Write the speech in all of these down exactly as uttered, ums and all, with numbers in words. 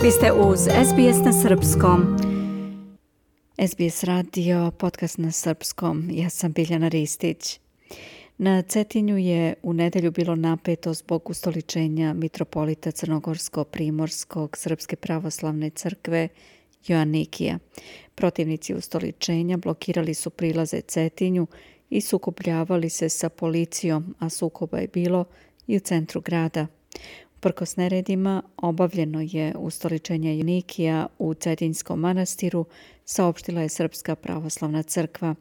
Vi ste uz S B S na srpskom. S B S radio, podcast na srpskom. Ja sam Biljana Ristić. Na Cetinju je u nedelju bilo napeto zbog ustoličenja mitropolita Crnogorsko-Primorskog Srpske pravoslavne crkve Joanikija. Protivnici ustoličenja blokirali su prilaze Cetinju i sukobljavali se sa policijom, a sukoba je bilo i u centru grada. Uprkos neredima, obavljeno je ustoličenje Joanikija u Cetinjskom manastiru, saopštila je Srpska pravoslavna crkva.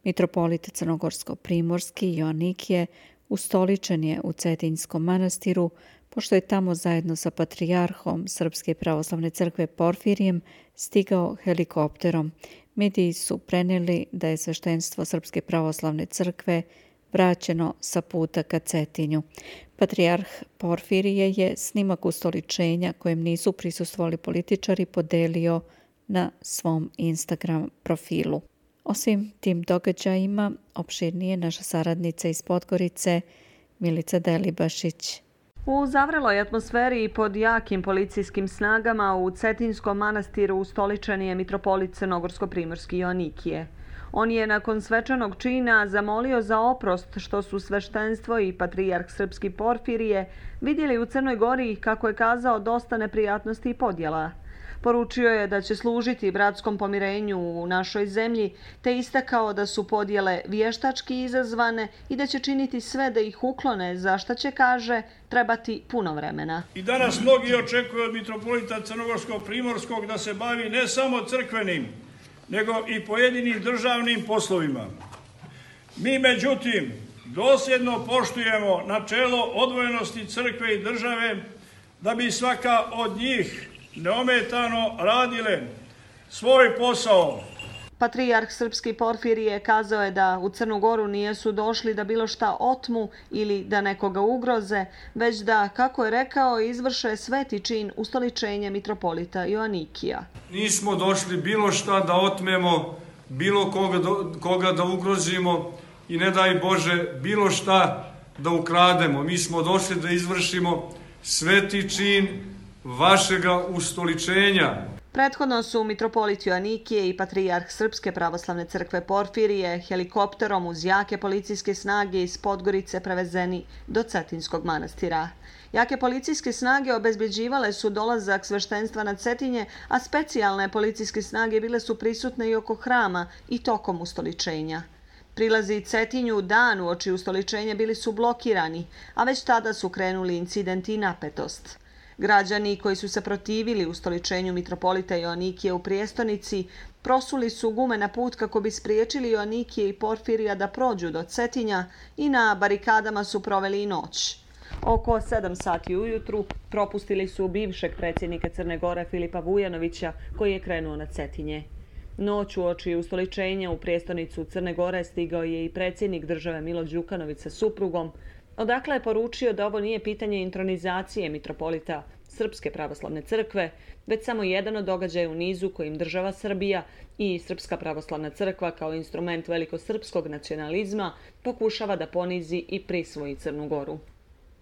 Mitropolit Crnogorsko-Primorski Joanikije ustoličen je u Cetinjskom manastiru, pošto je tamo zajedno sa patrijarhom Srpske pravoslavne crkve Porfirijem stigao helikopterom. Mediji su prenijeli da je sveštenstvo Srpske pravoslavne crkve vraćeno sa puta ka Cetinju. Patrijarh Porfirije je snimak ustoličenja kojem nisu prisustvovali političari podelio na svom Instagram profilu. O svim tim događajima opširnije naša saradnica iz Podgorice Milica Delibašić. U zavreloj atmosferi i pod jakim policijskim snagama u Cetinjskom manastiru ustoličen je mitropolit Crnogorsko-Primorski Joanikije. On je nakon svečanog čina zamolio za oprost što su sveštenstvo i patrijarh Srpski Porfirije vidjeli u Crnoj Gori, kako je kazao, dosta neprijatnosti i podjela. Poručio je da će služiti bratskom pomirenju u našoj zemlji, te istakao da su podjele vještački izazvane i da će činiti sve da ih uklone, za šta će, kaže, trebati puno vremena. I danas mnogi očekuju od mitropolita Crnogorsko-Primorskog da se bavi ne samo crkvenim, nego i pojedinim državnim poslovima. Mi, međutim, dosljedno poštujemo načelo odvojenosti crkve i države da bi svaka od njih neometano radile svoj posao. Patrijarh Srpski Porfirije kazao je da u Crnu Goru nijesu došli da bilo šta otmu ili da nekoga ugroze, već da, kako je rekao, izvrše sveti čin ustoličenja mitropolita Joanikija. Nismo došli bilo šta da otmemo, bilo koga, do, koga da ugrozimo i ne daj Bože bilo šta da ukrademo. Mi smo došli da izvršimo sveti čin vašega ustoličenja. Prethodno su mitropolit Joanikije i patrijarh Srpske pravoslavne crkve Porfirije helikopterom uz jake policijske snage iz Podgorice prevezeni do Cetinjskog manastira. Jake policijske snage obezbeđivale su dolazak sveštenstva na Cetinje, a specijalne policijske snage bile su prisutne i oko hrama i tokom ustoličenja. Prilazi Cetinju dan uoči ustoličenja bili su blokirani, a već tada su krenuli incidenti i napetost. Građani koji su se protivili ustoličenju mitropolita Joanikije u prijestolnici prosuli su gume na put kako bi spriječili Joanikije i Porfirija da prođu do Cetinja i na barikadama su proveli i noć. Oko sedam sati ujutru propustili su bivšeg predsjednika Crne Gore Filipa Vujanovića koji je krenuo na Cetinje. Noć uoči ustoličenja u prijestolnicu Crne Gore stigao je i predsjednik države Milo Đukanović sa suprugom, odakle je poručio da ovo nije pitanje intronizacije mitropolita Srpske pravoslavne crkve, već samo jedan od događaja u nizu kojim država Srbija i Srpska pravoslavna crkva kao instrument velikosrpskog nacionalizma pokušava da ponizi i prisvoji Crnu Goru.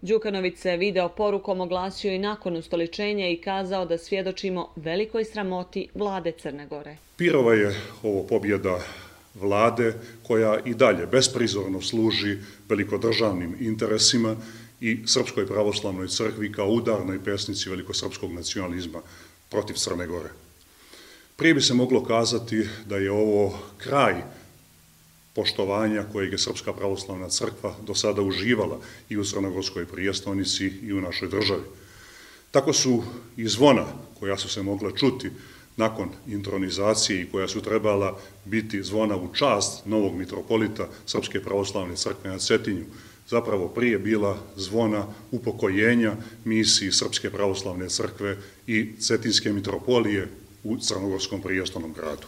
Đukanović se video porukom oglasio i nakon ustoličenja i kazao da svjedočimo velikoj sramoti vlade Crne Gore. Pirova je ovo pobjeda vlade koja i dalje besprizorno služi velikodržavnim interesima i Srpskoj pravoslavnoj crkvi kao udarnoj pesnici velikosrpskog nacionalizma protiv Crne Gore. Prije bi se moglo kazati da je ovo kraj poštovanja kojeg je Srpska pravoslavna crkva do sada uživala i u crnogorskoj prijestolnici i u našoj državi. Tako su i zvona koja su se mogla čuti nakon intronizacije i koja su trebala biti zvona u čast novog mitropolita Srpske pravoslavne crkve na Cetinju, zapravo prije bila zvona upokojenja misiji Srpske pravoslavne crkve i Cetinjske mitropolije u crnogorskom prijestolnom gradu.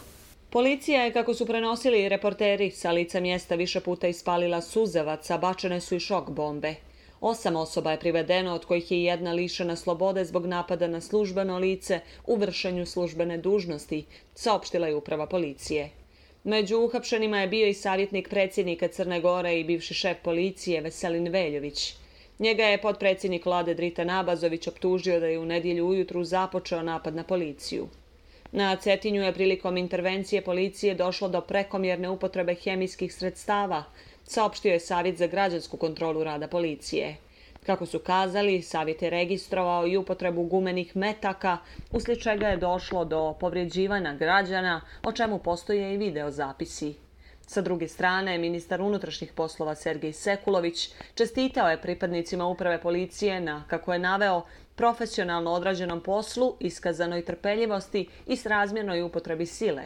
Policija je, kako su prenosili reporteri, sa lica mjesta više puta ispalila suzavac, a bačene su i šok bombe. Osam osoba je privedeno, od kojih je jedna lišena slobode zbog napada na službeno lice u vršenju službene dužnosti, saopštila je uprava policije. Među uhapšenima je bio i savjetnik predsjednika Crne Gore i bivši šef policije Veselin Veljović. Njega je potpredsjednik vlade Dritan Abazović optužio da je u nedjelju ujutru započeo napad na policiju. Na Cetinju je prilikom intervencije policije došlo do prekomjerne upotrebe hemijskih sredstava, saopštio je Savjet za građansku kontrolu rada policije. Kako su kazali, Savjet je registrovao i upotrebu gumenih metaka, uslijed čega je došlo do povrijeđivanja građana, o čemu postoje i videozapisi. Sa druge strane, ministar unutrašnjih poslova Sergej Sekulović čestitao je pripadnicima uprave policije na, kako je naveo, profesionalno odrađenom poslu, iskazanoj trpeljivosti i srazmjernoj upotrebi sile.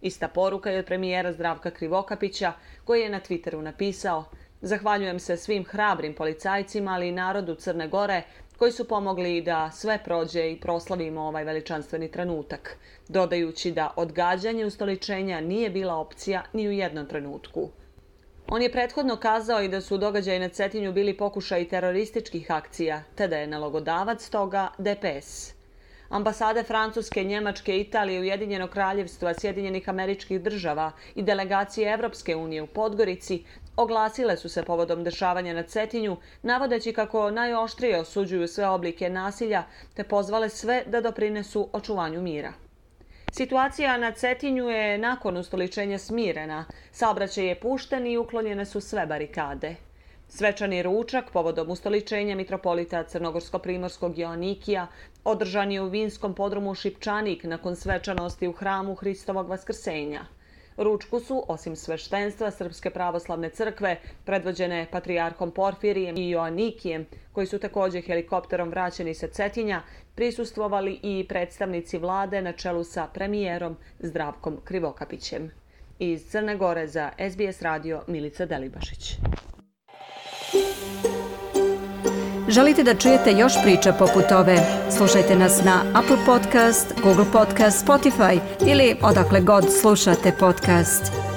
Ista poruka je od premijera Zdravka Krivokapića, koji je na Twitteru napisao: "Zahvaljujem se svim hrabrim policajcima, ali i narodu Crne Gore, koji su pomogli da sve prođe i proslavimo ovaj veličanstveni trenutak", dodajući da odgađanje ustoličenja nije bila opcija ni u jednom trenutku. On je prethodno kazao i da su događaji na Cetinju bili pokušaj terorističkih akcija, te da je nalogodavac toga D P S. Ambasade Francuske, Njemačke, Italije, Ujedinjenog kraljevstva, Sjedinjenih Američkih Država i delegacije Evropske unije u Podgorici oglasile su se povodom dešavanja na Cetinju, navodeći kako najoštrije osuđuju sve oblike nasilja te pozvale sve da doprinesu očuvanju mira. Situacija na Cetinju je nakon ustoličenja smirena, saobraćaj je pušten i uklonjene su sve barikade. Svečani ručak povodom ustoličenja mitropolita Crnogorsko-primorskog Joanikija održan je u vinskom podrumu Šipčanik nakon svečanosti u hramu Hristovog vaskrsenja. Ručku su, osim sveštenstva Srpske pravoslavne crkve, predvođene patrijarhom Porfirijem i Joanikijem, koji su također helikopterom vraćeni sa Cetinja, prisustvovali i predstavnici vlade na čelu sa premijerom Zdravkom Krivokapićem. Iz Crne Gore za S B S radio Milica Delibašić. Želite da čujete još priča poput ove? Slušajte nas na Apple Podcast, Google Podcast, Spotify ili odakle god slušate podcast.